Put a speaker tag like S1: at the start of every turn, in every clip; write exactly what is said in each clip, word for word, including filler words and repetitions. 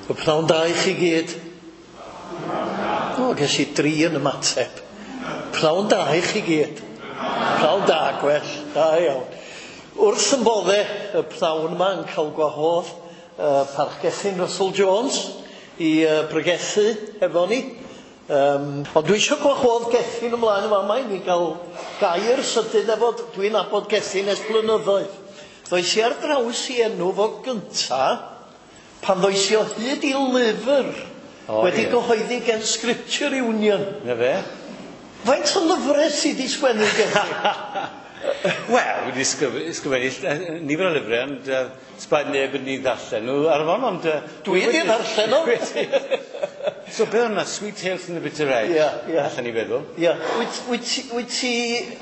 S1: Y pnawn da i chi gyd. O, ges i dri yn ymateb. Pnawn da i chi gyd. Pnawn da, gwell. Da iawn. Wrth yn bodde y pnawn yma yn cael gwahodd uh, Parch Gethin Russell Jones i uh, bregethu efo ni. Um, ond dwi eisiau gwahodd Gethin ymlaen yma yma i ni gael gair sydyn efo, dwi'n nabod Gethin ers blynyddoedd. Ddoes i ar draws i enw fo gynta pan ddoes i o hyd i lyfr oh, wedi yeah. gyhoeddi gen Scripture Union.
S2: Na fe?
S1: Faint o lyfrau sydd wedi sgwennu Gethin?
S2: Wel, wedi sgrifennu nifer o lyfrau, ond uh, sbaid neb yn ei ddarllen nhw ar hon, ond... Uh,
S1: dwi wedi ddarllen nhw!
S2: So beth o'na, Sweet Tales from the Bitter Edge?
S1: Ie, ie.
S2: Allan ni feddwl.
S1: Ie. Wyt, wyt, wyt ti...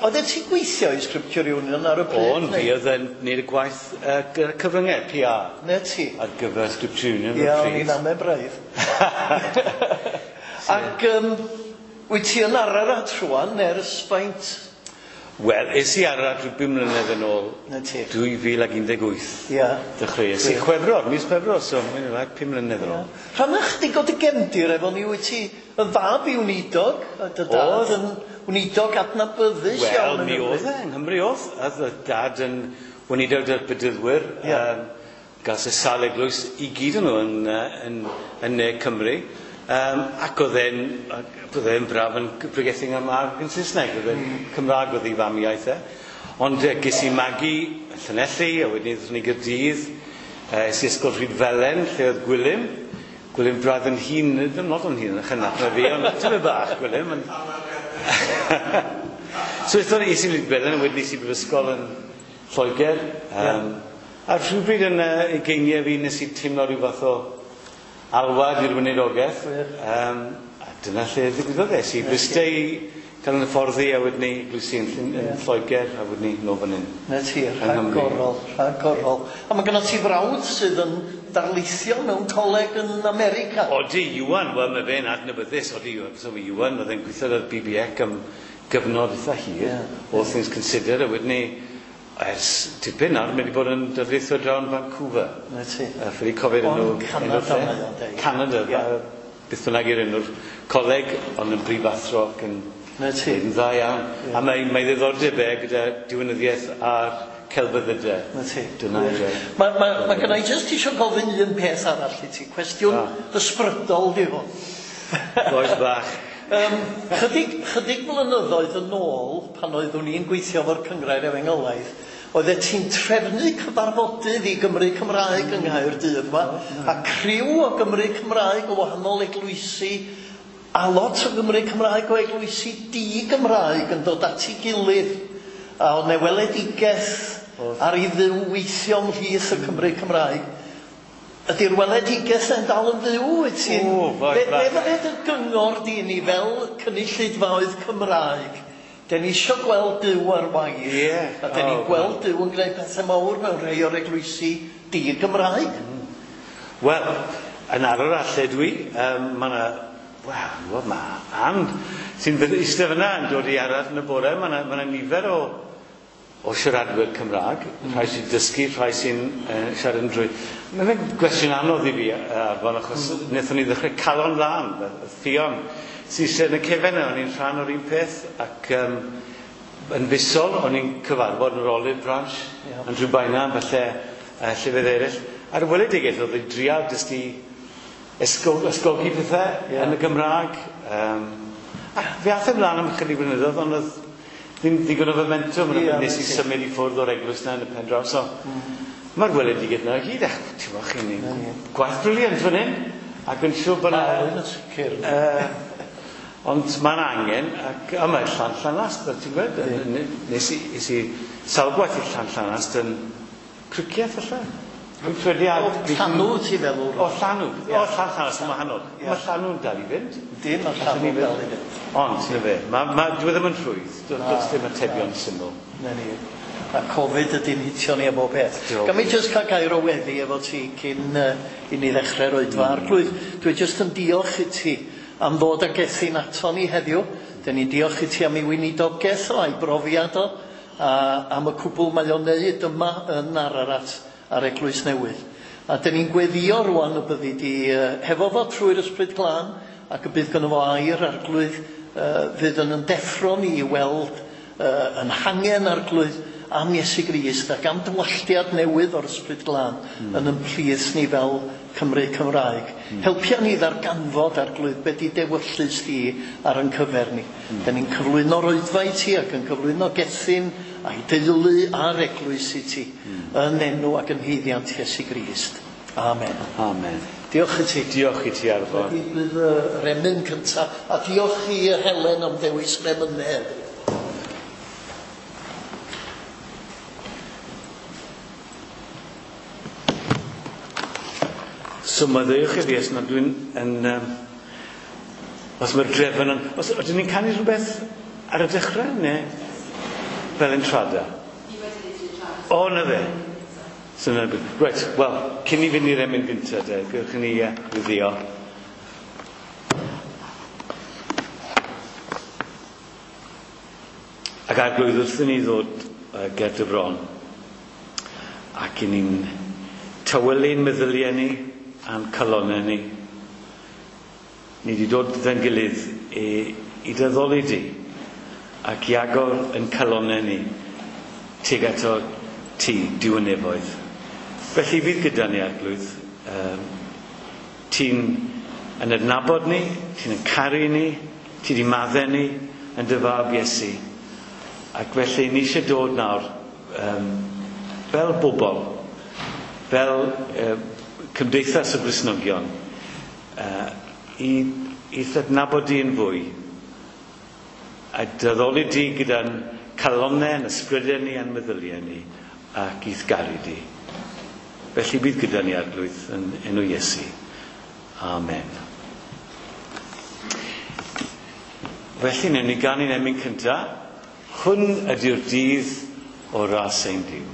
S1: Oeddet ti'n gweithio i Scripture Union ar y pryd?
S2: O'n, fi oedd yn neud y gwaith uh, gyda'r cyfryngau, P R.
S1: Na ti?
S2: Ar gyfer Scripture Union
S1: Ie,
S2: ar y
S1: o'n
S2: pryd.
S1: i'n ame braidd. Ac um, wyt ti yn Ararat rwan ers faint?
S2: Wel, es i Ararat rhyw bum mlynedd yn ôl,
S1: Na ti.
S2: dwy fil ag un deg wyth.
S1: Ie.
S2: Dechreuais i Chwefror, mis Chwefror, so mae'n like pum mlynedd yn ôl.
S1: Rhanna chdi o dy gefndir efo ni, wyt ti yn fab i weinidog, a dy dad yn weinidog adnabyddus
S2: Wel,
S1: iawn
S2: mi
S1: yng Nghymru.
S2: oedd e, yng Nghymru oedd. Oedd y dad yn weinidog dy'r Bedyddwyr.
S1: Ie.
S2: Um, gas y sawl eglwys i gyd yn nhw yn, yn, yn Ne Cymru. Um, ac oedd e'n, oedd e'n braf yn pregethu Gymraeg yn Saesneg, oedd e'n mm. Cymraeg oedd ei famiaith e. Ond uh, ges i magu yn Llanelli, a wedyn aethon ni Gaerdydd, uh, es i ysgol Rhydfelen, lle oedd Gwilym. Gwilym braidd yn hŷn, ddim lot o'n hŷn yn chynach na fi, ond tyfu bach Gwilym. Ond... So aethon ni, es i Rhydfelen, a wedyn es i brifysgol yn Lloegr. Um, yeah. A rhywbryd yn uh, ugeiniau fi nes i teimlo rhyw fath o alwad i'r weinidogaeth. Um, a dyna lle ddigwyddodd e. Es i Bryste i cael yn hyfforddi a wedyn ni eglwysi yn, yn yeah. Lloegr a wedyn ni nôl fan hyn.
S1: Na ti, rhagorol, rhagorol. A mae gynno ti frawd sydd yn darlithio mewn coleg yn America.
S2: Odi, Iwan, wel mae fe'n adnabyddus, odi, so mae Iwan, oedd e'n gweithio ar B B C am gyfnod eitha hir, yeah. all things considered, a wedyn ni ers tipyn nawr, mae wedi bod yn darlithio draw yn Vancouver.
S1: Na ti.
S2: A ffili cofio'r enw...
S1: Canada mae o'n deud.
S2: Canada,
S1: yeah.
S2: beth bynnag i'r enw'r coleg, ond yn brifathro ac yn...
S1: Na ti.
S2: Yn dda iawn.
S1: Yeah.
S2: A mae, mae ddiddordeb e gyda diwinyddiaeth a'r celfyddydau.
S1: Na ti.
S2: Dyna yeah.
S1: e. Mae ma, ma gynna i jyst eisiau gofyn un peth arall i ti. Cwestiwn
S2: ah.
S1: ysbrydol di hwn.
S2: Boes bach.
S1: Um, chydig, chydig blynyddoedd yn ôl, pan oeddwn i'n gweithio efo'r Cynghrair Efengylaidd, oeddet ti'n trefnu cyfarfodydd i Gymru Cymraeg yng Nghaerdydd yma, a criw o Gymru Cymraeg o wahanol eglwysi, a lot o Gymru Cymraeg o eglwysi di-Gymraeg yn dod at ei gilydd. A oedd 'na weledigaeth ar i Dduw weithio ymhlith y Cymru Cymraeg. Ydy'r weledigaeth yn dal yn fyw, wyt ti'n...
S2: O,
S1: Be, be fydde dy gyngor di ni fel cynulleidfaoedd Cymraeg? Den ni isio gweld Duw ar waith.
S2: Yeah.
S1: A den ni'n
S2: oh,
S1: gweld Duw yn gwneud pethau mawr mewn rhai o'r eglwysi di-Gymraeg.
S2: Mm. Wel, yn Ararat lle dwi, um, mae yna... Wel, mae Ann sy'n eistedd fyna yn dod i Ararat yn y bore, mae yna ma nifer o o siaradwyr Cymraeg, mm. rhai sy'n dysgu, rhai sy'n uh, siarad yn drwy. Mae fe'n gwestiwn anodd i fi Arfon, achos mm. wnaethon ni ddechrau Calon Lân, Ffion, sy'n eistedd yn y cefen yna, o'n i'n rhan o'r un peth, ac um, yn fisol, o'n i'n cyfarfod yn yr Olive Branch,
S1: yeah.
S2: yn Rhiwbeina, falle uh, llefydd eraill. A'r weledigaeth oedd i drial jyst i ysgo, ysgogi pethau
S1: yeah.
S2: yn y Gymraeg. Um, ac fe ath ymlaen am ychydig blynyddoedd, ond oedd ddim digon o momentum,
S1: yeah,
S2: nes i symud i ffwrdd o'r eglwys na yn y pen draw. So,
S1: mm.
S2: mae'r weledigaeth yna i gyd, ach, ti'n bod chi'n yeah. gwaith briliant fan hyn, ac yn siŵr bod
S1: Na,
S2: yna...
S1: yn sicr.
S2: Uh, ond mae'n angen, ac a mae Llan Llanast, fel ti'n gweud,
S1: yeah.
S2: nes i, nes i sawl gwaith i Llan Llanast yn Cricieth falle. Dwi'n credu ar...
S1: O, Llanw ti feddwl?
S2: O, Llanw. O, Llan Llanast yn wahanol.
S1: Yeah.
S2: Mae Llanw'n dal i fynd.
S1: Dim, mae Llanw'n dal i fynd.
S2: Ond, na fe, ma, ma, dwi ddim yn rhwydd. Does dim atebion syml.
S1: Na ni. A Covid ydy'n hitio ni am bob peth. Ga mi jyst cael gair o weddi efo ti cyn uh, i ni ddechrau'r oedfa. Mm. Arglwydd, dwi jyst yn diolch i ti am ddod â Gethin ato ni heddiw. Dyn ni'n diolch i ti am ei weinidogaeth o, a'i brofiad o, a am y cwbl mae o'n neud yma yn Ararat a'r Eglwys Newydd. A dyn ni'n gweddio rwan y byddi di uh, hefo fo trwy'r Ysbryd Glân, ac y bydd gynno fo air Arglwydd uh, fydd yn ymdeffro ni i weld uh, yn hangen Arglwydd am Iesu Grist ac am dywalltiad newydd o'r Ysbryd Glân mm. yn ymplith ni fel Cymru Cymraeg. Mm. Helpia ni ddarganfod Arglwydd be di dewyllys di ar ein cyfer ni. Mm. Dyn ni'n cyflwyno'r oedfa i ti ac yn cyflwyno Gethin a'i deulu a'r eglwys i ti mm. yn enw ac yn haeddiant Iesu Grist. Amen.
S2: Amen.
S1: Diolch i ti.
S2: Diolch i ti, Arfon.
S1: Bydd yr emyn cyntaf, a diolch i Helen am ddewis yr emynau heddiw.
S2: So maddeuwch i fi, os na dwi'n yn... Um, os mae'r drefn yn... Os, ydyn ni'n canu rhywbeth ar y dechrau, neu fel entrada? O, na fe. So, na, reit, wel, cyn i fynd i'r emyn gyntaf, de, gewch ni uh, wyddio. Ac Arglwydd, wrth i ni ddod uh, ger dy bron, ac i ni'n tawelu'n meddyliau ni a'n calonnau ni, ni wedi dod gyda'n gilydd i, i dyddoli di ac i agor yn calonnau ni tuag ato ti, Duw y nefoedd. Felly fydd gyda ni, Arglwydd. Um, ti'n yn adnabod ni, ti'n yn caru ni, ti wedi maddau ni yn dy fab Iesu. Ac felly ni eisiau dod nawr um, fel bobl, fel uh, cymdeithas o Gristnogion, uh, i, i adnabod di yn fwy a dyddoli di gyda'n calonnau, yn ysbrydau ni a'n meddyliau ni ac i'th garu di. Felly bydd gyda ni, Arglwydd, yn enw Iesu. Amen. Felly, newn ni ganu'n emyn cyntaf. Hwn ydy'r dydd o ras ein Duw.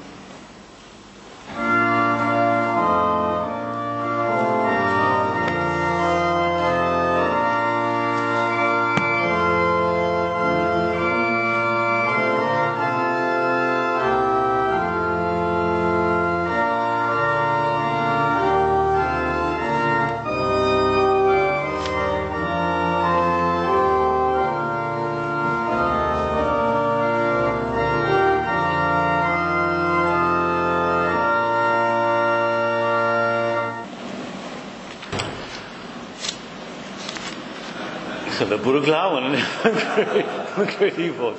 S2: Chyda bwrw glaw yn mae'n credu fod.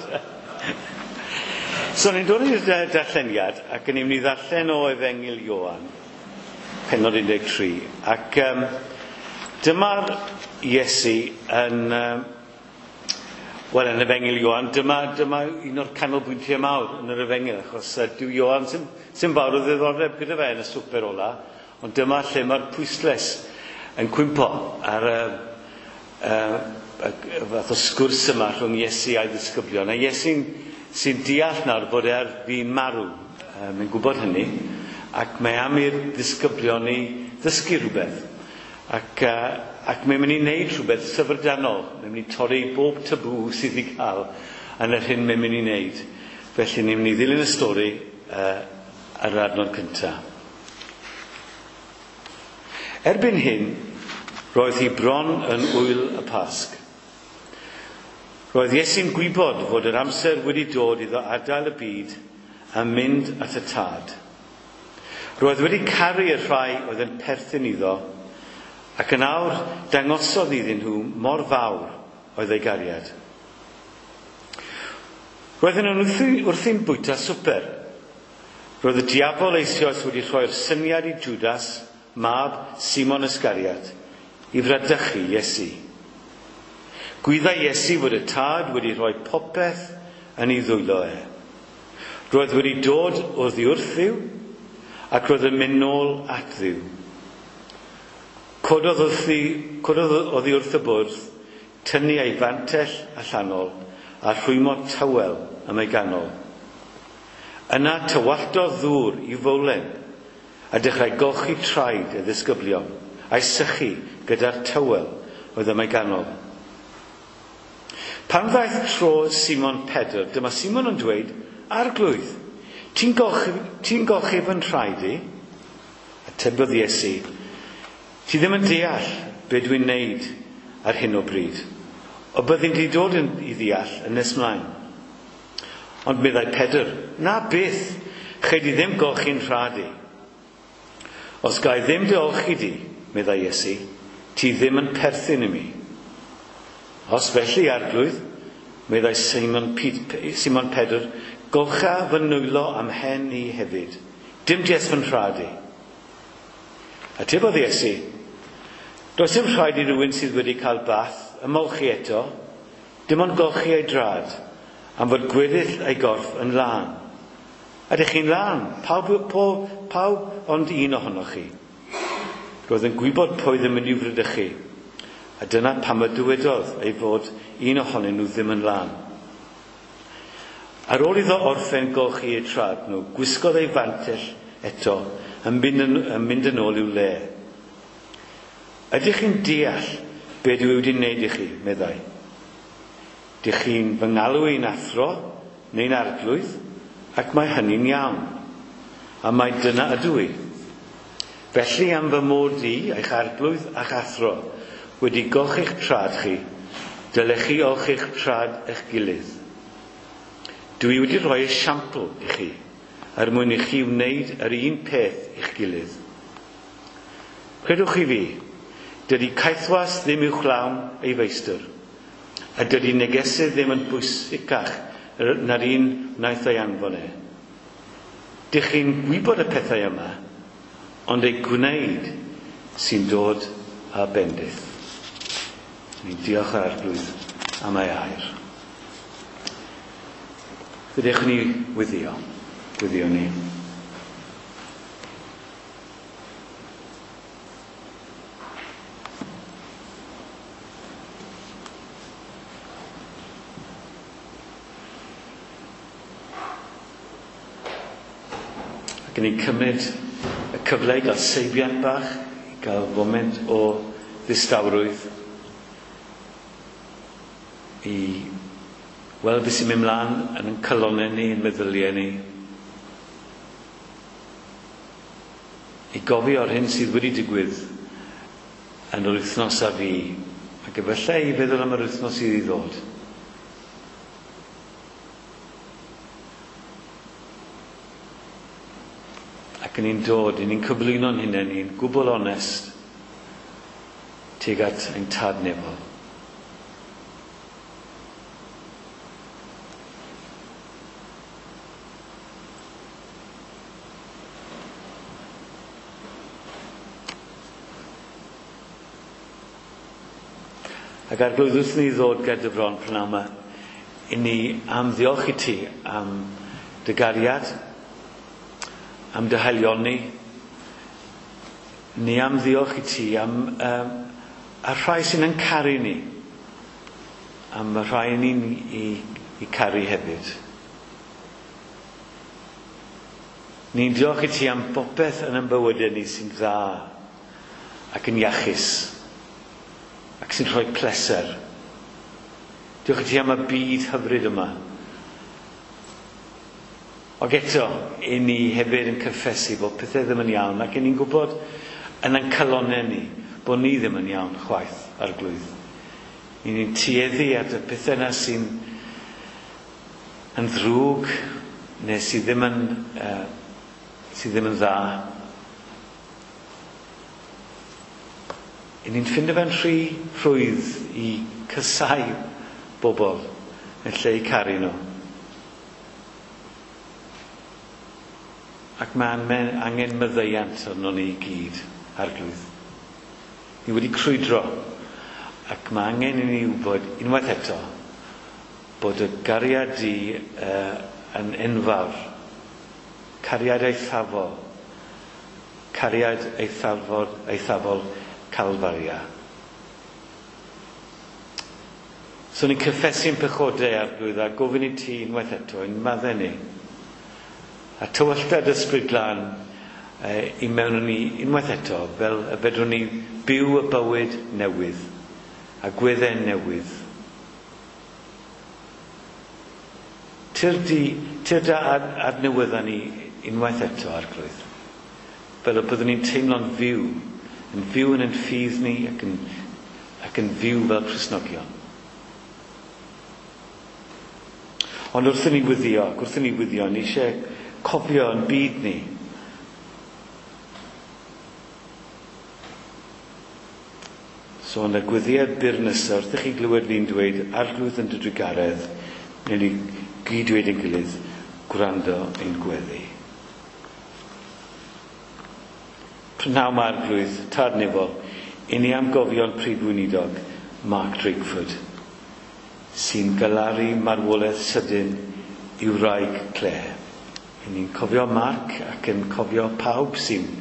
S2: So ni'n dod i'r darlleniad ac yn mynd i ddarllen o Efengyl Ioan, pennod un deg tri. Ac um, dyma'r Iesu yn, um, wel, yn Efengyl Ioan, dyma, dyma un o'r canolbwyntiau mawr yn yr Efengyl, achos uh, dyw Ioan sy'n, sy'n fawr o ddiddordeb gyda fe yn y swper ola, ond dyma lle mae'r pwyslais yn cwympo ar y uh, Uh, y fath o sgwrs yma rhwng Iesu a'i ddisgyblion. A Iesu'n sy'n deall nawr bod e ar fin marw. Uh, mae'n gwybod hynny. Ac mae am i'r ddisgyblion i ddysgu rhywbeth. Ac, uh, ac mae'n mynd i wneud rhywbeth syfrdanol. Mae'n mynd i torri bob tabŵ sydd i gael yn yr hyn mae'n mynd i wneud. Felly ni'n mynd i ddilyn y stori uh, ar yr adnod cyntaf. Erbyn hyn, roedd hi bron yn ŵyl y Pasg. Roedd Iesu'n gwybod fod yr amser wedi dod iddo adael y byd a mynd at y Tad. Roedd wedi caru y rhai oedd yn perthyn iddo, ac yn awr dangosodd iddyn nhw mor fawr oedd ei gariad. Roedden nhw'n wrthi'n bwyta swper. Roedd y diafol eisoes wedi rhoi'r syniad i Judas, mab Simon Iscariot, i fradychu Iesu. Gwyddai Iesu fod y Tad wedi rhoi popeth yn ei ddwylo e. Roedd wedi dod oddi wrth Dduw, ac roedd yn mynd nôl at Dduw. Cododd wrthi, cododd oddi wrth y bwrdd, tynnu ei fantell allanol a rhwymo tywel am ei ganol. Yna tywalltodd ddŵr i fowlen a dechrau golchi traed y ddisgyblion a'i sychu gyda'r tywel oedd am ei ganol. Pan ddaeth tro Simon Pedr, dyma Simon yn dweud, Arglwydd, ti'n golchi, ti'n golchi fy nhraed i? A Atebodd Iesu, ti ddim yn deall be dwi'n neud ar hyn o bryd, o byddi'n di dod yn, i ddeall yn nes mlaen. Ond meddai Pedr, na byth, chei di ddim golchi'n rhad i. Os ga i ddim dy olchi di, meddai Iesu, ti ddim yn perthyn i mi. Os felly, Arglwydd, meddai Simon, Simon Pedr, golcha fy nwylo am hen i hefyd, dim jes fy nhrad i. Atebodd Iesu, does dim rhaid i rywun sydd wedi cael bath ymolchi eto, dim ond golchi ei drad, am fod gweddill ei gorff yn lân. Ydych chi'n lân? Pawb, pawb, pawb ond un ohonoch chi. Roedd yn gwybod pwy ddim yn i'w fradychu, a dyna pam y dywedodd ei fod un ohonyn nhw ddim yn lân. Ar ôl iddo orffen golchi eu trad nhw, gwisgodd ei fantell eto yn mynd yn, yn mynd yn ôl i'w le. Ydych chi'n deall be dwi wedi wneud i chi, meddai. Dych chi'n fy ngalw i'n athro neu'n arglwydd, ac mae hynny'n iawn, a mae dyna ydw i. Felly am fy mod i, eich arglwydd a'ch athro, wedi golchi'ch trad chi, dylech chi olchi'ch trad eich gilydd. Dwi wedi rhoi esiampl i chi, er mwyn i chi wneud yr un peth i'ch gilydd. Credwch chi fi, dydy caethwas ddim uwchlawn ei feistr, a dydy negesydd ddim yn bwysicach na'r un wnaeth ei anfon e. Dych chi'n gwybod y pethau yma, ond ei gwneud sy'n dod â bendith. Ni'n diolch yr Arglwydd am ei air. Fydech ni wyddio, wyddio ni. Ac ni'n cymryd y cyfle i gael seibiant bach, i gael foment o ddistawrwydd, i weld beth sy'n mynd mlaen yn ein calonnau ni, yn meddyliau ni, i gofio o'r hyn sydd wedi digwydd yn yr wythnos a fi, ac efallai i feddwl am yr wythnos sydd i ddod. Ac ni'n dod, ni'n cyflwyno'n hunain ni'n gwbl onest tuag at ein tad nefol. Ac Arglwydd, wrth ni ddod ger dy bron prynhawn yma, i ni am ddiolch i ti am dy gariad, am dy haelioni. Ni am ddiolch i ti am um, y rhai sy'n yn caru ni, am y rhai ni'n i, i caru hefyd. Ni'n diolch i ti am bopeth yn ein bywydau ni sy'n dda ac yn iachus ac sy'n rhoi pleser. Diolch i ti am y byd hyfryd yma. Ac eto, i ni hefyd yn cyffesu bod pethau ddim yn iawn, ac i ni'n gwybod yn ein calonnau ni bod ni ddim yn iawn chwaith, Arglwydd. I ni'n tueddu at y pethau yna sy'n yn ddrwg neu sydd ddim yn, uh, sydd ddim yn dda. I ni'n ffindo fe'n rhy rhwydd i cysau bobl yn lle i caru nhw. Ac mae angen maddeuant arnon ni i gyd, Arglwydd. Ni wedi crwydro, ac mae angen i ni wybod unwaith eto bod y gariad di uh, yn enfawr, cariad eithafol, cariad eithafol, eithafol Calfaria. So ni'n cyffesu'n pechodau, Arglwydd, a gofyn i ti unwaith eto, i'n maddau ni. A tywylltad Ysbryd Glân eh, i mewn ni unwaith eto, fel y fedrwn ni byw y bywyd newydd, a gweddau newydd. Tyrd, di, tyrd a adnewydda ni unwaith eto, Arglwydd. Fel y byddwn ni'n teimlo'n fyw, yn fyw yn ein ffydd ni ac yn, ac yn fyw fel Cristnogion. Ond wrth i ni wyddio, ac wrth i ni wyddio, ni eisiau cofio yn byd ni. So yn y gweddiau byr nesaf, wrth i chi glywed fi'n dweud, Arglwydd yn dy drugaredd, neu ni gyd dweud ein gilydd, gwrando ein gweddi. Prynhawn ma Arglwydd, Tad Nefol, i ni am gofio'n prif weinidog, Mark Drakeford, sy'n galaru marwolaeth sydyn i'w wraig Claire. I ni'n cofio Mark ac yn cofio pawb sy'n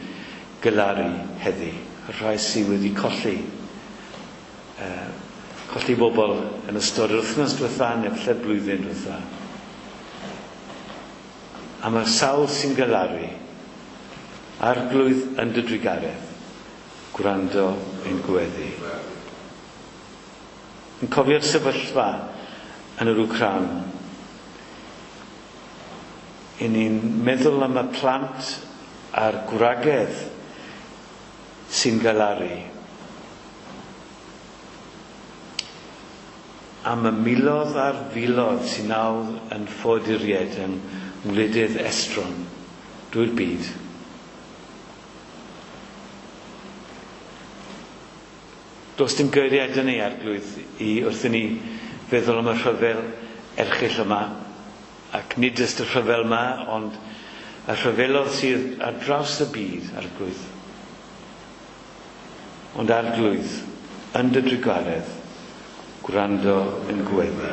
S2: galaru heddi, y rhai sydd wedi colli Uh, colli bobl yn ystod yr wythnos diwetha neu falle'r blwyddyn diwetha. A mae'r sawl sy'n galaru, Arglwydd yn dy drugaredd, gwrando ein gweddi. Yn cofio'r sefyllfa yn yr Wcráin. I ni'n meddwl am y plant a'r gwragedd sy'n galaru. Am y miloedd a'r filoedd sy'n nawr yn ffoaduriaid yng ngwledydd estron drwy'r byd. Does dim geiriau 'da ni, Arglwydd, i wrth i ni feddwl am y rhyfel erchyll yma, ac nid jyst y rhyfel yma, ond y rhyfelodd sydd ar draws y byd, Arglwydd. Ond Arglwydd, yn dy drugaredd, gwrando yn gweddi.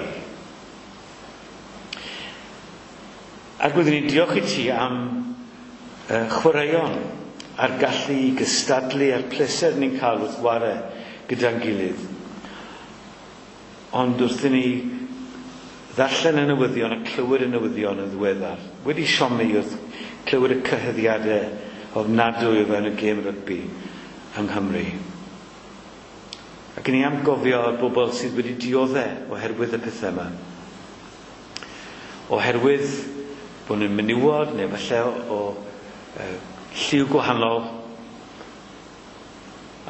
S2: Arglwydd, ni'n diolch i ti am uh, chwaraeon a'r gallu i gystadlu a'r pleser ni'n cael wrth ware gyda'n gilydd. Ond wrth i ni ddarllen y newyddion a clywed y newyddion yn ddiweddar, wedi siomi wrth clywed y cyhuddiadau ofnadwy o fewn y gêm rygbi yng Nghymru. Ac ni am gofio y bobl sydd wedi dioddef oherwydd y pethau yma. Oherwydd bod nhw'n menywod neu falle o, o e, lliw gwahanol.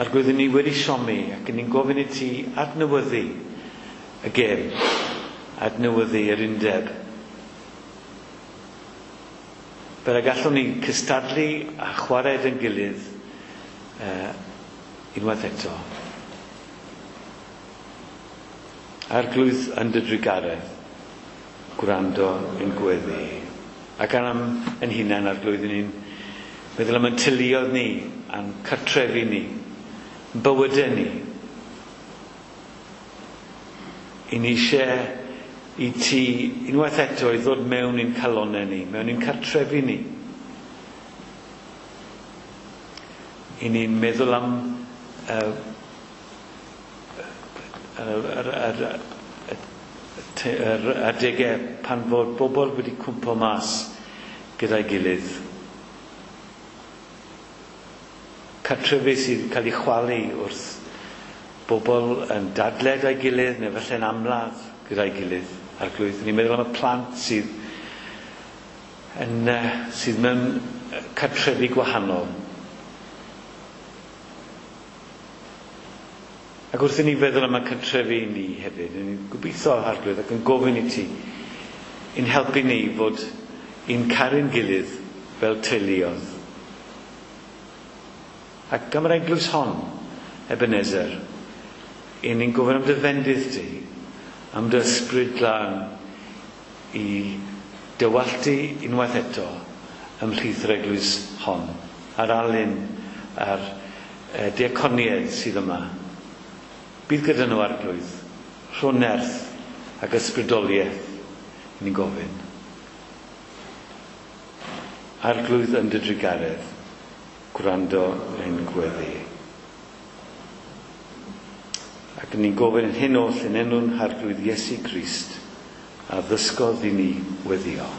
S2: Arglwydd, ni wedi siomi ac ni'n gofyn i ti adnewyddu y gêm, adnewyddu yr undeb. Fel y gallwn ni cystadlu a chwarae yn gilydd e, unwaith eto. Arglwydd yn dy drugaredd, gwrando yn gweddi. Ac am yn hunain, Arglwydd, ni'n meddwl am ein teuluoedd ni, a'n cartrefi ni, yn bywydau ni. I ni eisiau i ti unwaith eto i ddod mewn i'n calonnau ni, mewn i'n cartrefi ni. I ni'n meddwl am uh, yr, yr, yr, yr adegau pan fod bobl wedi cwmpo mas gyda'i gilydd. Cartrefi sydd wedi cael ei chwalu wrth bobl yn dadle gyda'i gilydd neu falle'n amladd gyda'i gilydd. Arglwydd, ni'n meddwl am y plant sydd, yn, sydd mewn cartrefi gwahanol. Ac wrth i ni feddwl am y cartrefi ni hefyd, ni'n gobeithio, Arglwydd, ac yn gofyn i ti, i'n helpu ni fod i'n caru'n gilydd fel teuluoedd. Ac am yr eglwys hon, Ebenezer, i ni'n gofyn am dy fendith di, am dy ysbryd glân i dywalltu unwaith eto ymhlith yr eglwys hon, a'r alun, a'r e, diaconiaid sydd yma. Bydd gyda nhw, Arglwydd, rho nerth ac ysbrydoliaeth, ni'n gofyn. Arglwydd yn dy drugaredd, gwrando ein gweddi. Ac ni'n gofyn yn hyn oll yn enw'n Harglwydd Iesu Grist, a ddysgodd i ni weddio.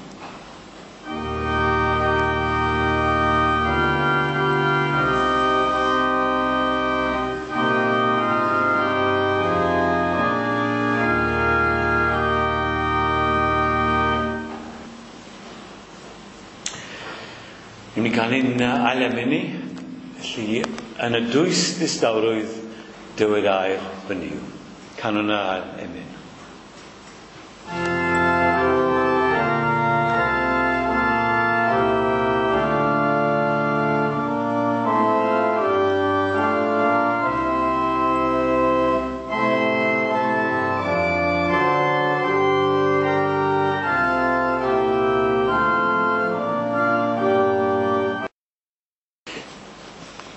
S2: Ni'n mynd i gael ein ail emyn ni, felly yn y dwys ddistawrwydd dywed air fy Nuw. Canwn yr ail emyn.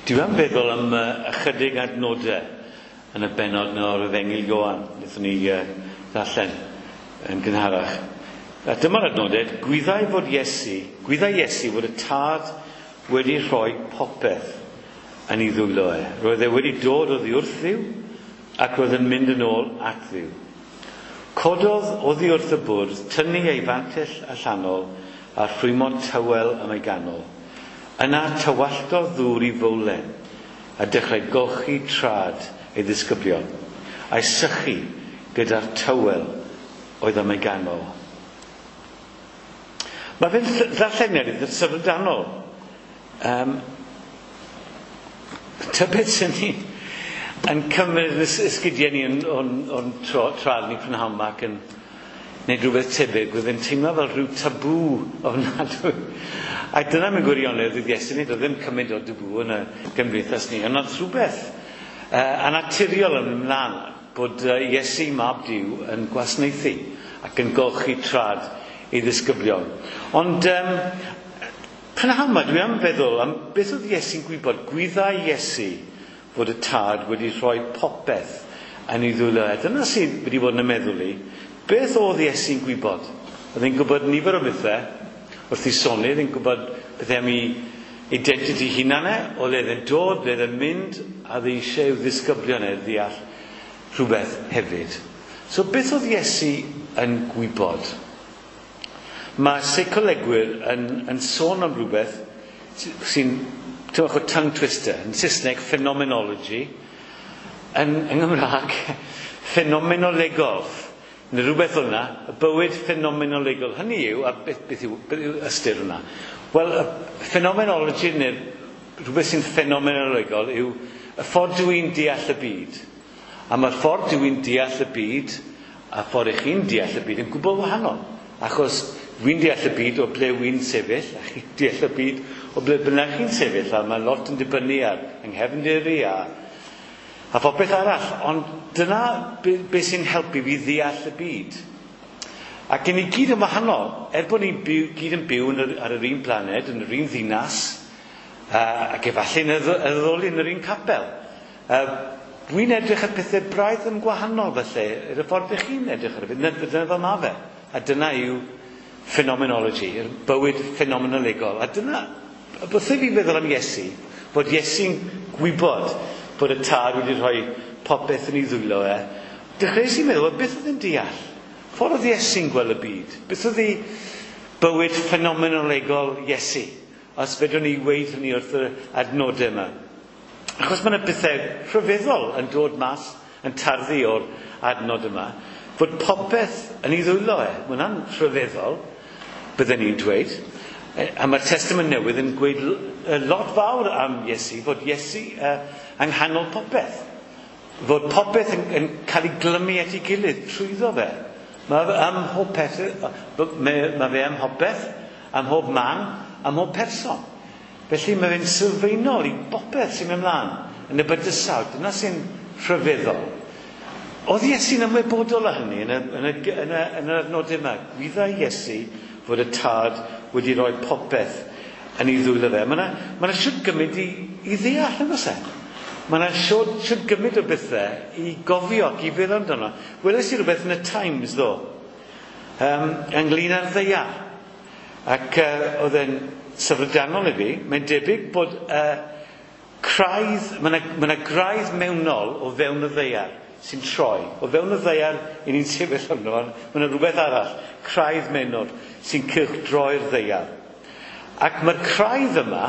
S2: Dwi am feddwl am uh, ychydig adnodau yn y bennod yna o'r Efengyl Ioan, wnaethon ni uh, ddarllen yn gynharach. A dyma'r adnodau, gwyddai fod Iesu, gwyddai Iesu fod y Tad wedi rhoi popeth yn ei ddwylo e. Roedd e wedi dod oddi wrth Dduw ac roedd yn mynd yn ôl at Dduw. Cododd oddi wrth y bwrdd, tynnu ei fantell allanol a rhwymo tywel am ei ganol. Yna tywalltodd ddŵr i fowlen a dechrau golchi trad ei ddisgyblion, a'i sychu gyda'r tywel oedd am ei ganol. Mae fe'n ddarlleniad eitha syfrdanol. Um, tybed sy'n ni yn cymryd esgidiau ni o'n, o'n, o'n trad ni prynhawn 'ma ac yn gwneud rhywbeth tebyg, oedd yn teimlo fel rhyw tabŵ ofnadwy. A dyna mewn gwirionedd oedd Iesu'n neud, oedd ddim cymaint o dabŵ yn y gymdeithas ni, ond oedd rhywbeth uh, annaturiol yn ymlaen bod uh, Iesu Mab Duw yn gwasanaethu ac yn golchi trad ei ddisgyblion. Ond um, prynhawn 'ma dwi am feddwl am beth oedd Iesu'n gwybod. Gwyddai Iesu fod y Tad wedi rhoi popeth yn ei ddwylo e. Dyna sydd wedi bod yn y meddwl i. Beth oedd Iesu'n gwybod? Oedd e'n gwybod nifer o bethau wrth ei soni, oedd e'n gwybod bethau am ei identity hunan e, o le oedd e'n dod, le oedd e'n mynd, a oedd e eisiau i'w ddisgyblion e ddeall rhywbeth hefyd. So beth oedd Iesu yn gwybod? Mae seicolegwyr yn, yn sôn am rhywbeth sy'n tyfach o tongue twister, yn Saesneg phenomenology, yn, yng Nghymraeg ffenomenolegol. Neu rhywbeth fel yna, y bywyd ffenomenolegol. Hynny yw, a beth, beth, yw, beth yw ystyr hwnna? Wel, y phenomenology, neu rhywbeth sy'n ffenomenolegol, yw y ffordd dwi'n deall y byd. A mae'r ffordd dwi'n deall y byd, a ffordd i chi'n deall y byd, yn gwbl wahanol. Achos dwi'n deall y byd o ble wy'n sefyll, a chi'n deall y byd o ble bynnag chi'n sefyll, a mae lot yn dibynnu ar yng nghefndir i a a phopeth arall, ond dyna be, be sy'n helpu fi ddeall y byd. Ac yn ni gyd yn wahanol, er bod ni'n byw, gyd yn byw yn yr, ar yr un planed, yn yr un ddinas, uh, ac efallai yn addoli yn yr un capel. Uh, dwi'n edrych ar pethau braidd yn gwahanol felly, yr y ffordd ych chi'n edrych ar y byd, dyna fel ma fe. A dyna yw phenomenology, yr bywyd ffenomenolegol. A dyna, wrth i fi feddwl am Iesu, bod Iesu'n gwybod bod y Tad wedi rhoi popeth yn ei ddwylo e, dechreuais i meddwl, beth oedd yn deall? Ffordd oedd Iesu'n gweld y byd? Beth oedd ei bywyd ffenomenolegol Iesu? Os fedrwn ni weud hynny wrth yr adnodau yma. Achos mae yna bethau rhyfeddol yn dod mas, yn tarddu o'r adnod yma, fod popeth yn ei ddwylo e. Mae hwnna'n rhyfeddol, bydden ni'n dweud. A mae'r Testament Newydd yn gweud lot fawr am Iesu, fod Iesu uh, yng nghanol popeth. Fod popeth yn, yn cael ei glymu at ei gilydd trwyddo fe. Mae fe am mhob peth, mae, mae fe am popeth, am mhob man, am mhob person. Felly mae fe'n sylfaenol i bopeth sy'n mynd mlaen yn y bydysawd. Dyna sy'n rhyfeddol. Oedd Iesu'n ymwybodol o hynny yn y, yn y, yn y, yn yr adnodau yma. Gwyddai Iesu fod y Tad wedi rhoi popeth yn ei ddwylo fe. Mae yna ma siwt gymryd i, i ddeall, yn oes e? Mae yna siwt, siwt gymryd o bethau i gofio ac i feddwl amdano. Weles i rhywbeth yn y Times, ddo, um, ynglyn â'r ddaear. Ac uh, oedd e'n syfrdanol i fi. Mae'n debyg bod uh, craidd, mae yna, ma yna graidd mewnol o fewn y ddaear sy'n troi. O fewn y ddaear i ni'n sefyll arno, mae yna rhywbeth arall, craidd mewnol, sy'n cylchdroi'r ddaear. Ac mae'r craidd yma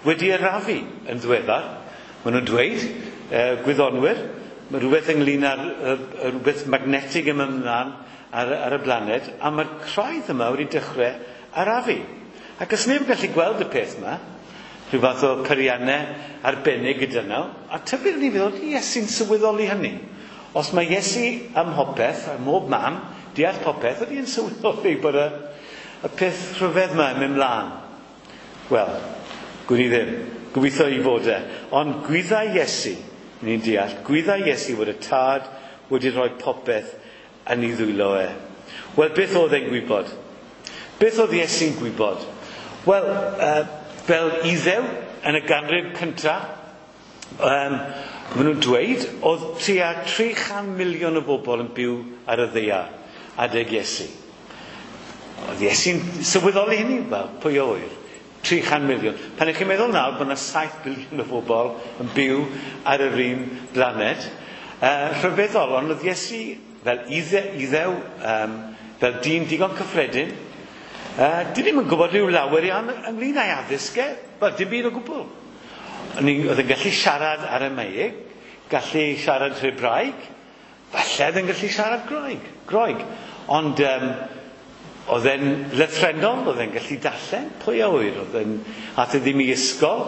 S2: wedi arafu yn ddiweddar. Maen nhw'n dweud, uh, gwyddonwyr, mae rhywbeth ynglyn â'r uh, rhywbeth magnetig yn mynd ymlaen ar, ar y blaned, a mae'r craidd yma wedi dechrau arafu. Ac os neb yn gallu gweld y peth yma, Rhyw fath o peiriannau arbennig gyda nhw. A tybed ni feddwl, Iesu'n sylweddoli hynny. Os mae Iesu am popeth, am mob man, deall popeth, ydy yn sylweddoli bod y, y peth rhyfedd yma yn mynd mlaen. Wel, gwn i ddim. Gobeithio i fod e. Ond gwyddai Iesu, ni'n deall, gwyddai Iesu fod y Tad wedi rhoi popeth yn ei ddwylo e. Wel, beth oedd e'n gwybod? Beth oedd Iesu'n gwybod? Wel, uh, fel Iddew yn y ganrif cyntaf, um, maen nhw'n dweud, oedd tua tri chan miliwn o bobl yn byw ar y ddaear adeg Iesu. Oedd Iesu'n sylweddoli hynny? Wel, pwy a ŵyr? tri chan miliwn. Pan ych chi'n meddwl nawr bod yna saith biliwn o bobl yn byw ar yr un blaned, uh, rhyfeddol, ond oedd Iesu fel Idde, Iddew, um, fel dyn digon cyffredin, uh, dyn ni'm yn gwybod rhyw lawer iawn ynglyn â'i addysg e, wel, dim byd o gwbl. Oedd yn gallu siarad Aramaic, gallu siarad Hebraeg, falle oedd yn gallu siarad Groeg, Groeg. Ond um, oedd e'n lythrennol, oedd e'n gallu darllen, pwy a ŵyr, oedd e'n ath e ddim i ysgol.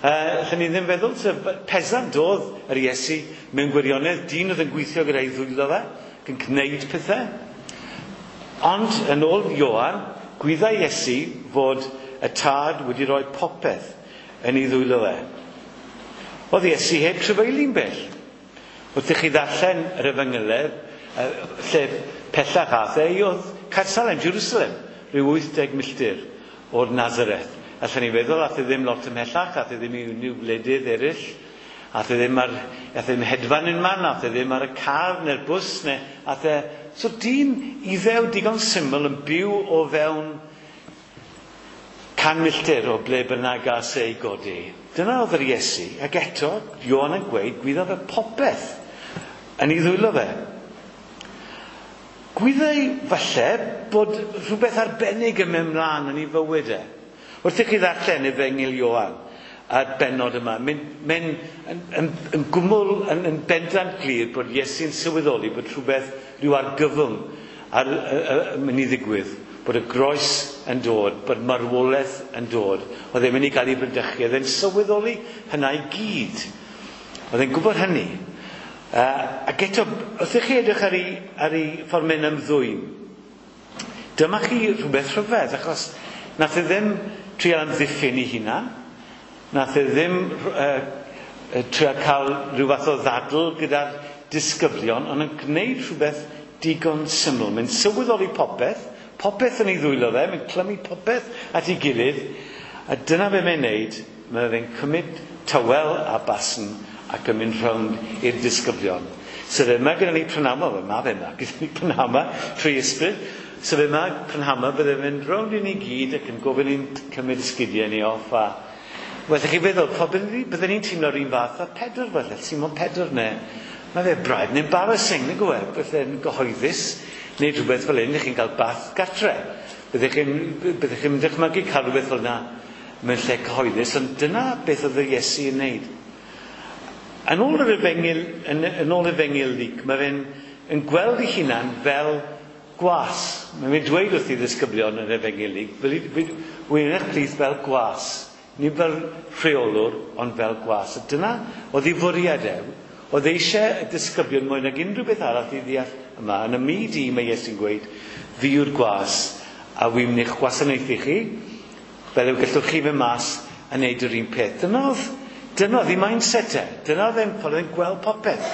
S2: Uh, lle ni ddim feddwl, sef peasant oedd yr Iesu mewn gwirionedd, dyn oedd yn gweithio gyda'i ddwylo fe, ac yn gwneud pethau. Ond, yn ôl Ioan, gwyddai Iesu fod y Tad wedi rhoi popeth yn ei ddwylo fe. Oedd Iesu heb trafeili'n bell. Wrth i chi ddarllen yr Efengylau, lle pellach ath e, oedd Caersalem, Jerusalem, rhyw wyth deg milltir o'r Nazareth. Allan ni feddwl, ath e ddim lot ymhellach, ath e ddim i unrhyw wledydd eraill, ath e ddim ar, ath e ddim hedfan un man, ath e ddim ar y car neu'r bws, neu ath e... So dyn Iddew digon syml yn byw o fewn can milltir o ble bynnag gas ei godi. Dyna oedd yr Iesu, ac eto, Ioan yn gweud, gwyddodd fe popeth yn ei ddwylo fe. Gwyddai falle bod rhywbeth arbennig yn mynd mlaen yn ei fywyd e. Wrth i chi ddarllen Efengyl Ioan a'r bennod yma, mae'n mae'n yn, yn, yn gwmwl, yn, yn bendant glir bod Iesu'n sylweddoli bod rhywbeth, rhyw argyfwng ar, yn mynd i ddigwydd, bod y groes yn dod, bod marwolaeth yn dod. Oedd e'n mynd i gael ei bradychu, oedd e'n sylweddoli hynna i gyd. Oedd e'n gwybod hynny. Uh, ac eto, wrth i chi edrych ar ei, ar ei ffordd mynd ymddwyn, dyma chi rhywbeth rhyfedd, achos nath e ddim trial amddiffyn ei hunan, nath e ddim uh, trial cael rhyw fath o ddadl gyda'r disgyblion, ond yn gwneud rhywbeth digon syml. Mae'n sylweddoli popeth, popeth yn ei ddwylo fe, mae'n clymu popeth at ei gilydd, a dyna be mae'n neud, mae fe'n cymryd tywel a basn ac yn mynd rownd i'r disgyblion. So fe yma gyda ni prynawn, wel ma fe yma gyda ni prynawn yma, trwy ysbryd. So fe yma prynawn yma bydde mynd rownd i ni gyd ac yn gofyn i'n cymryd esgidiau ni off a... Wel, chi feddwl, bydden ni'n teimlo'r un fath a Pedr falle, Simon Pedr ne. Mae fe braidd yn embarrassing, nag yw e? Bydde'n gyhoeddus, neu rhywbeth fel hyn, chi'n cael bath gartre. Byddech chi'n byddech chi'n dychmygu cael rhywbeth fel yna mewn lle cyhoeddus, ond dyna beth oedd yr Iesu yn wneud. Yn ôl yr Efengyl, yn, yn ôl Efengyl Luc, mae fe'n yn gweld ei hunan fel gwas. Mae fe'n dweud wrth ei ddisgyblion yn Efengyl Luc, wy'n eich plith fel gwas. Nid fel rheolwr, ond fel gwas. A dyna oedd ei fwriad e. Oedd eisiau y disgyblion mwy nag unrhyw beth arall i ddeall yma. Yn y myd i, mae Iesu'n gweud, fi yw'r gwas, a wi'n mynd i'ch gwasanaethu chi, fel yw gallwch chi fynd mas a wneud yr un peth. Dyna oedd, dyna oedd ei mindset e. Dyna oedd e'n ffordd yn gweld popeth.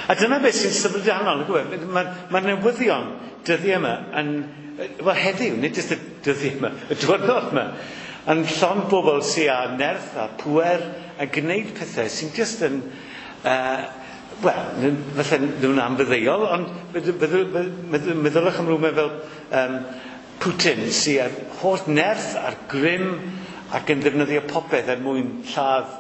S2: A dyna beth sy'n syfrdanol. Mae'r ma newyddion dyddiau yma, yn, wel heddiw, nid jyst y dyddiau yma, y diwrnod yma, yn llond bobl sydd â nerth a pŵer a gwneud pethau sy'n jyst yn, uh, wel, falle nhw'n anfyddeuol, ond meddylwch am rhywbeth fel um, Putin sydd â'r holl nerth a'r grym ac yn ddefnyddio popeth er mwyn lladd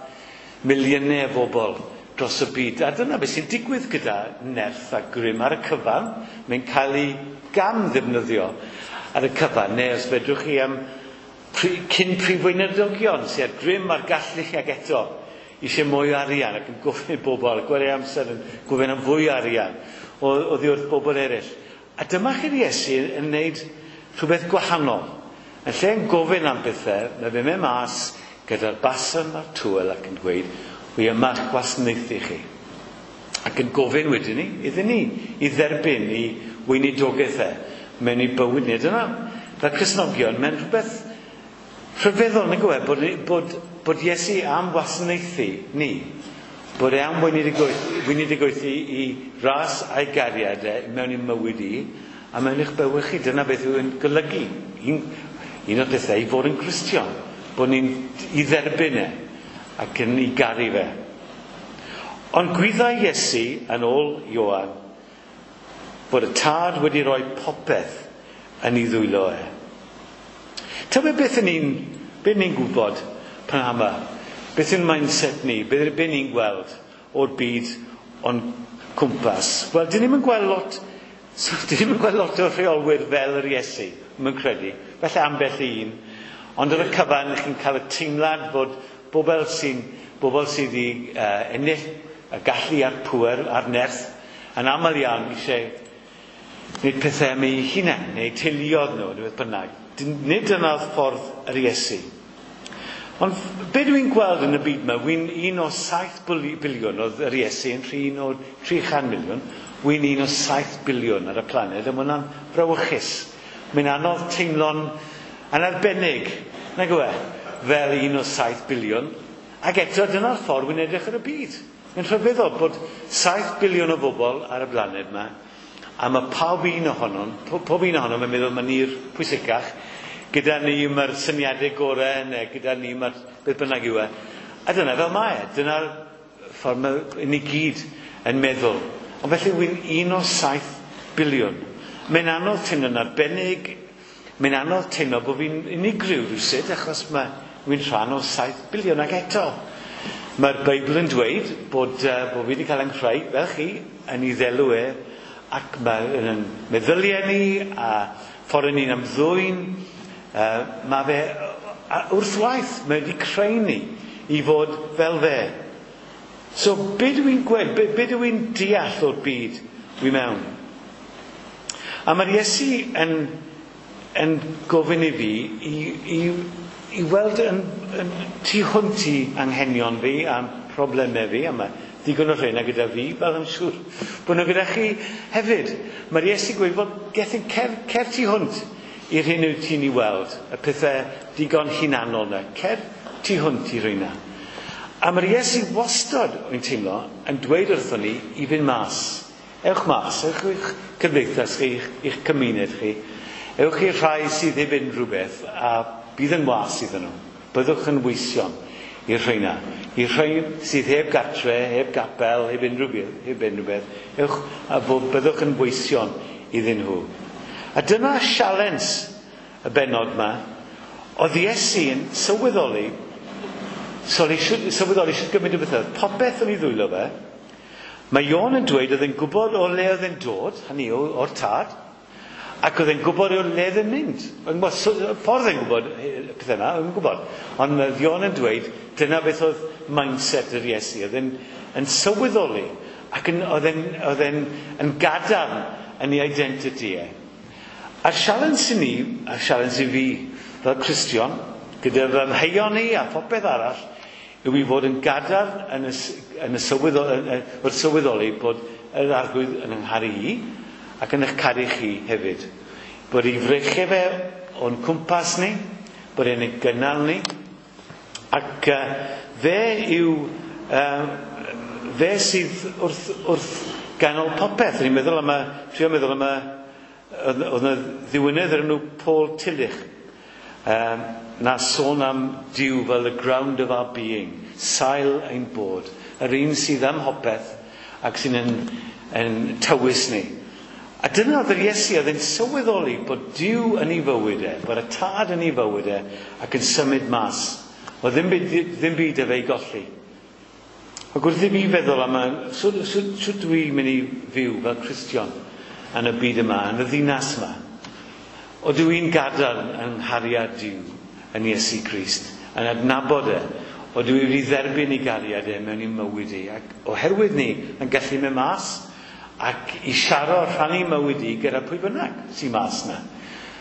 S2: miliynau o bobl dros y byd. A dyna beth sy'n digwydd gyda nerth a grym ar y cyfan. Mae'n cael ei gam ddefnyddio ar y cyfan. Neu os fedrwch chi am cyn prif weinidogion sydd â'r grym a'r gallu ag eto eisiau mwy o arian ac yn gofyn i bobl, gwario amser yn gofyn am fwy o arian oddi wrth bobl eraill. A dyma chi'r Iesu yn wneud rhywbeth gwahanol, Yn lle yn gofyn am bethau, mae fe'n mynd mas gyda'r basan a'r tŵel ac yn dweud, wi yma gwasanaethu chi. Ac yn gofyn wedyn ni, iddyn ni, i dderbyn i weinidogaeth e mewn i bywyd ni. Dyna, fel Cristnogion, mae'n rhywbeth rhyfeddol, nag yw e, bod, bod, bod Iesu am wasanaethu ni. Bod e am weinidogaethu i ras a'i gariad e mewn i mywyd i, a mewn i'ch bywyd chi. Dyna beth yw'n golygu. Un, un o'r pethau i fod yn Gristion, bod ni'n i dderbyn e ac yn ei garu fe. Ond gwyddai Iesu, yn ôl Ioan, bod y Tad wedi rhoi popeth yn ei ddwylo e. Tybed beth ni'n beth ni'n gwybod pan yma? Beth yw'n mindset ni? Beth, beth ni'n gweld o'r byd o'n cwmpas? Wel, dyn ni'm yn gweld lot, so, dyn ni'm yn gweld lot o rheolwyr fel yr Iesu, mae'n credu. Felly ambell un. Ond ar y cyfan, chi'n cael y teimlad bod bobl sy'n bobl sydd wedi uh, ennill y gallu a'r pŵer a'r nerth yn aml iawn eisiau gwneud pethau am eu hunain, neu teuluoedd nhw, neu beth bynnag. Nid dyna'r ffordd yr Iesu. Ond be dwi'n gweld yn y byd yma, wy'n un o saith biliwn oedd yr Iesu yn rhy un o tri chan miliwn, wy'n un o saith biliwn ar y planed, a mae hwnna'n brawychus. Mae'n anodd teimlo'n yn arbennig, nag yw e, fel un o saith biliwn. Ac eto dyna'r ffordd wy'n edrych ar y byd. Mae'n rhyfeddol bod saith biliwn o bobl ar y blaned yma, a mae pawb un ohonon, pob un ohonom yn meddwl mae ni'r pwysicach, gyda ni mae'r syniadau gorau, neu gyda ni mae'r beth bynnag yw e. A dyna fel mae e, dyna'r ffordd mae ni gyd yn meddwl. Ond felly wy'n un o saith biliwn. Mae'n anodd teimlo'n arbennig, mae'n anodd teimlo bod fi'n unigryw rhywsut, achos mae wy'n rhan o saith biliwn. Ac eto, mae'r Beibl yn dweud bod, uh, bod fi wedi cael yng nghreu, fel chi, yn ei ddelw e, ac mae'n meddyliau ni, a ffordd ni'n ymddwyn, uh, mae fe a wrth waith, mae wedi creu ni i fod fel fe. So, be dwi'n gweld, be, be dwi'n deall o'r byd wi mewn? A mae'r Iesu yn, yn gofyn i fi i, i, i weld yn, yn tu hwnt i anghenion fi a problemau fi, a mae ddigon o rheina gyda fi, fel I'm siŵr bod nhw gyda chi hefyd. Mae'r Iesu gweud, wel, gethin, cer, cer tu hwnt i'r hyn wyt ti'n ei weld, y pethau digon hunanol yna. Cer tu hwnt i rheina. A mae'r Iesu wastad, wy'n teimlo, yn dweud wrthon ni i fynd mas. Ewch mas, ewch i'ch cymdeithas chi, i'ch, i'ch cymuned chi. Ewch i'r rhai sydd heb unrhyw beth, a bydd yn was iddyn nhw. Byddwch yn weision i'r rheina. I'r rhai sydd heb gatre, heb gapel, heb unrhyw beth, heb unrhyw beth, ewch a byddwch yn weision iddyn nhw. A dyna sialens y bennod yma. Oedd Iesu yn sylweddoli, sylweddoli sut gymaint o bethau. Popeth yn ei ddwylo fe. Mae Ioan yn dweud oedd e'n gwybod o le oedd e'n dod, hynny yw, o'r Tad, ac oedd e'n gwybod o le oedd e'n mynd. Ffordd e'n gwybod y pethau yma, oedd e'n gwybod. Ond mae Ioan yn dweud, dyna beth oedd mindset yr Iesu. Oedd e'n yn sylweddoli, ac yn, oedd e'n, oedd e'n yn gadarn yn ei identity e. A'r sialens i ni, a'r sialens i fi fel Cristion, gyda fy mheion ni a phopeth arall, yw i fod yn gadarn yn y, yn y sylweddoli, yn, wrth sylweddoli bod yr Arglwydd yn yng ngharu i ac yn eich caru chi hefyd. Bod ei freichiau fe o'n cwmpas ni, bod e'n ei gynnal ni, ac uh, fe yw, uh, fe sydd wrth, wrth ganol popeth. Ni'n meddwl am y, trio meddwl am y, oedd yna ddiwinydd o'r enw Paul Tillich, um, na sôn am Duw fel the ground of our being, sail ein bod, yr un sydd am hopeth ac sy'n yn, yn tywys ni. A dyna oedd yr Iesu, oedd e'n sylweddoli bod Duw yn ei fywyd e, bod y Tad yn ei fywyd e, ac yn symud mas. Oedd ddim byd, ddim byd efo ei golli. Ac wrth i fi feddwl am, sut, sut, sut dwi'n mynd i fyw fel Cristion yn y byd yma, yn y ddinas yma? O dw i'n gadarn yng nghariad Duw yn Iesu Grist, yn adnabod e, o dw i wedi dderbyn ei gariad e mewn i mywyd i, ac oherwydd ni yn gallu mynd mas ac i siaro rhannu mywyd i gyda pwy bynnag sy'n mas na.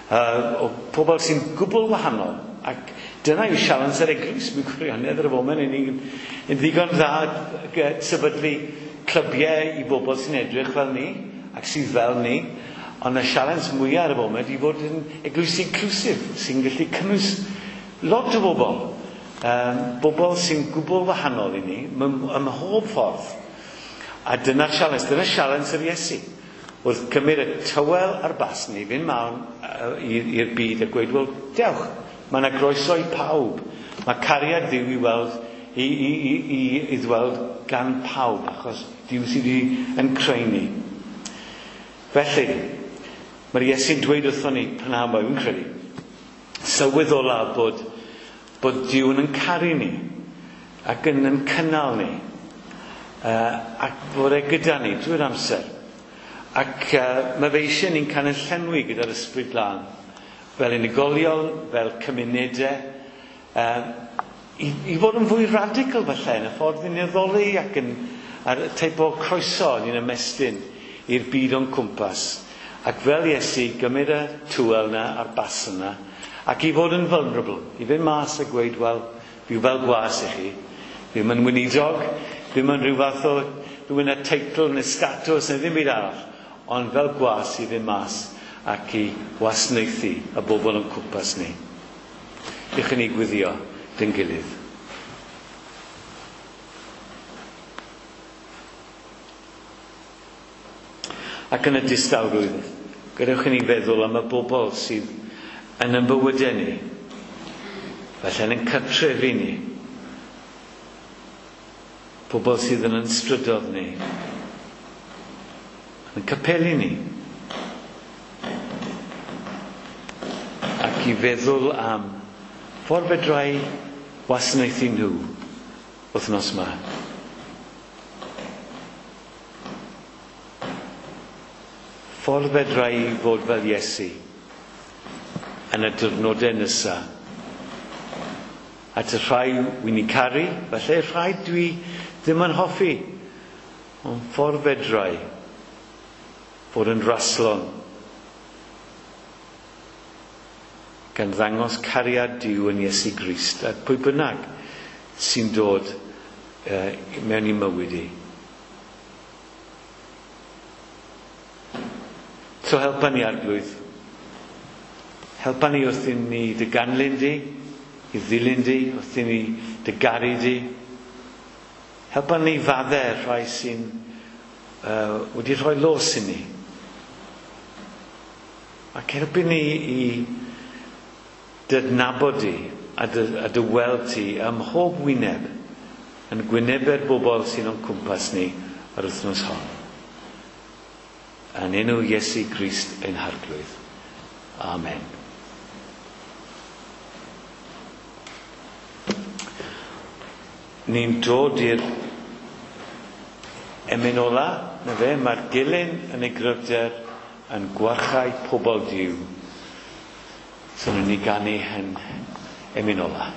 S2: Uh, o pobl sy'n gwbl wahanol. Ac dyna yw sialens yr eglwys mewn gwirionedd ar y foment. Ni'n yn ddigon dda sefydlu clybiau i bobl sy'n edrych fel ni ac sydd fel ni. Ond y sialens mwyaf ar y foment i fod yn eglwys inclusive sy'n gallu cynnwys lot o bobl. Um, bobl sy'n gwbl wahanol i ni ym mhob ffordd. A dyna'r sialens, dyna'r sialens yr Iesu. Wrth cymryd y tywel a'r basn i fynd mewn i'r byd a gweud, wel, dewch, mae yna groeso i pawb. Mae cariad Dduw i weld, i, i, i, i, i ddweld gan pawb, achos Duw sydd wedi yn creu ni. Felly, mae'r Iesu'n dweud wrthon ni, prynhawn 'ma, fi'n credu, sylweddola bod, bod Duw yn caru ni ac yn yn cynnal ni, uh, ac bod e gyda ni drwy'r amser. Ac uh, mae fe eisiau ni'n cael ein llenwi gyda'r Ysbryd Glân, fel unigolion, fel cymunedau, uh, i, i fod yn fwy radical falle yn y ffordd ni'n addoli ac yn ar y teip o croeso ni'n ymestyn i'r byd o'n cwmpas. Ac fel Iesu, gymryd y tywel yna a'r basn yna, ac i fod yn vulnerable, i fynd mas a gweud, wel, fi fel gwas i chi, ddim yn weinidog, ddim yn rhyw fath o rhywun y teitl neu statws neu ddim byd arall, ond fel gwas i fynd mas ac i wasanaethu y bobl o'n cwmpas ni. Dewch i ni gweddio dyn gilydd. Ac yn y distawrwydd, gadewch i ni feddwl am y bobl sydd yn ein bywydau ni, falle yn ein cartrefi ni, pobl sydd yn ein strydoedd ni, yn capeli ni, ac i feddwl am ffordd fedrai wasanaethu nhw wythnos yma. Ffordd fedrai fod fel Iesu yn y diwrnodau nesaf. At y rhai wy'n i caru, falle rhai dwi ddim yn hoffi, ond ffordd fedrai fod yn raslon, gan ddangos cariad Duw yn Iesu Grist at pwy bynnag sy'n dod uh, mewn i mywyd i. So helpa ni, Arglwydd. Helpa ni wrth i ni dy ganlyn di, i ddilyn di, wrth i ni dy garu di. Helpa ni faddau rhai sy'n uh, wedi rhoi los i ni. Ac helpu ni i dy adnabod di a dy, a dy weld ti ym mhob wyneb yn gwynebau'r bobl sy'n o'n cwmpas ni yr wythnos hon. Yn enw Iesu Grist ein Harglwydd. Amen. Ni'n dod i'r emyn ola, na fe, mae'r gelyn yn ei gryfder yn gwarchau pobl Duw. So ni'n ni ganu yn emyn ola.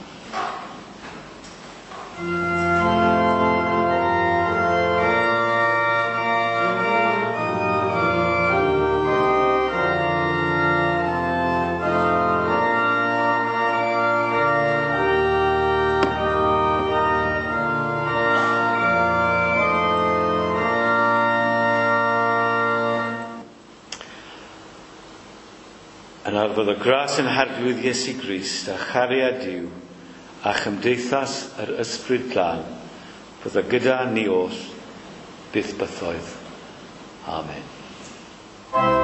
S2: Yn arfodd o gras yn Harglwydd Iesu Grist a chariad Duw a chymdeithas yr Ysbryd Glân fydda gyda ni oll byth bythoedd. Amen.